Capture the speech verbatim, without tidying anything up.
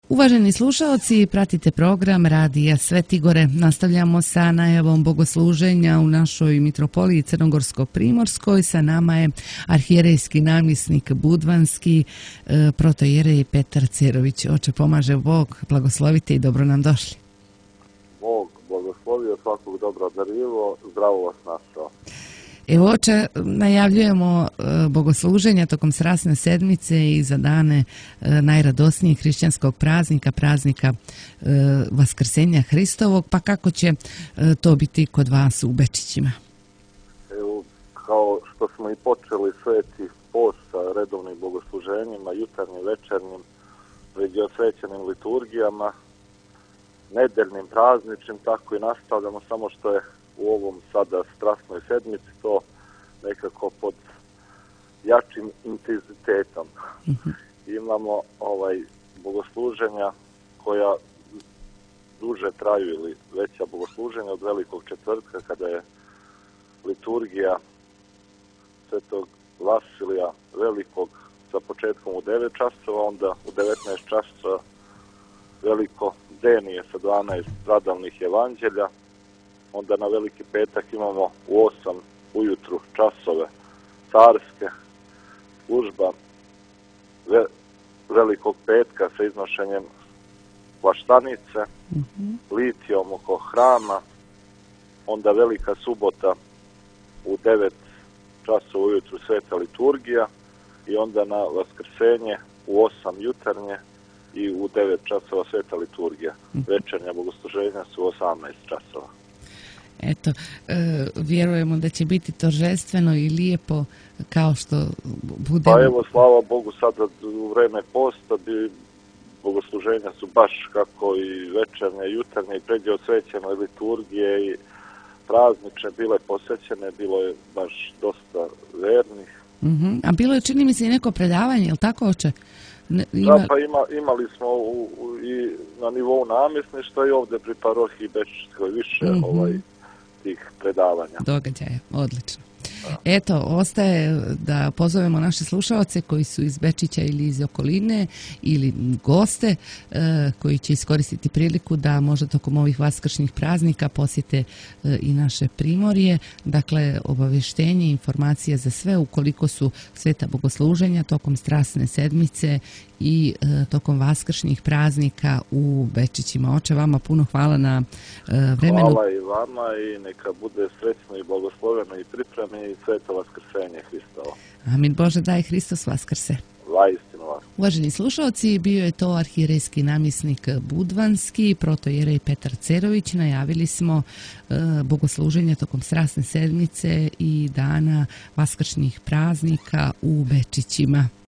Uvaženi slušaoci, pratite program Radija Sveti Gore. Nastavljamo sa najavom bogosluženja u našoj mitropoliji Crnogorsko-Primorskoj. Sa nama je arhijerejski namjesnik budvanski, protojerej Petar Cerović. Oče, pomaže Bog, blagoslovite i dobro nam došli. Bog blagoslovio, svakog dobro darilo, zdravo vas našao. Evo, oče, najavljujemo bogosluženja tokom Strasne sedmice i za dane najradosnijeg hrišćanskog praznika, praznika Vaskrsenja Hristovog, pa kako će to biti kod vas u Bečićima? Evo, kao što smo i počeli sveti post sa redovnim bogosluženjima, jutarnjim, večernjim, već i osvećenim liturgijama, nedeljnim, prazničnim, tako i nastavljamo, samo što je u ovom sada strasnoj sedmici to nekako pod jačim intenzitetom. Mm-hmm. Imamo ovaj bogosluženja koja duže traju ili veća bogosluženja od Velikog četvrtka, kada je liturgija Svetog Vasilija Velikog sa početkom u devet časova, onda u devetnaest časova Veliko denije sa dvanaest stradalnih evanđelja. Onda na Veliki petak imamo u osam ujutru časove carske, služba ve, Velikog petka sa iznošenjem plaštanice, mm-hmm. litijom oko hrama, onda Velika subota u devet časova ujutru sveta liturgija i onda na Vaskrsenje u osam jutarnje i u devet časova sveta liturgija. Mm-hmm. Večernja bogosluženja su u osamnaest časova. Eto, e, vjerujemo da će biti торжествено i lijepo kao što bude. Pa evo, slava Bogu, sada u vreme posta bi bogosluženja su baš kako i večernje, i jutarnje, i pređe osvećene liturgije i praznične bile posvećene, bilo je baš dosta vernih. Mm-hmm. A bilo je, čini mi se, i neko predavanje, je li tako, oče? Ne, ima... Da, pa ima, imali smo u, u, i na nivou namjesništva i ovdje pri parohiji Bečićkoj više mm-hmm. ovaj tih predavanja. Događaja, odlično. Da. Eto, ostaje da pozovemo naše slušaoce koji su iz Bečića ili iz okoline ili goste e, koji će iskoristiti priliku da možda tokom ovih vaskršnjih praznika posjete e, i naše Primorje. Dakle, obavještenje, informacije za sve ukoliko su sveta bogosluženja tokom Strasne sedmice i e, tokom vaskršnjih praznika u Bečićima. Oče, vama puno hvala na e, vremenu. Hvala i vama i neka bude srećno i blagosloveno i pripremi i sveto Vaskrsenje Hristovo. Amin. Bože, daj Hristos vaskrse. Vaistinu vas. Uvaženi slušaoci, bio je to arhijerejski namjesnik budvanski, protojerej Petar Cerović. Najavili smo e, bogosluženja tokom Strasne sedmice i dana vaskršnjih praznika u Bečićima.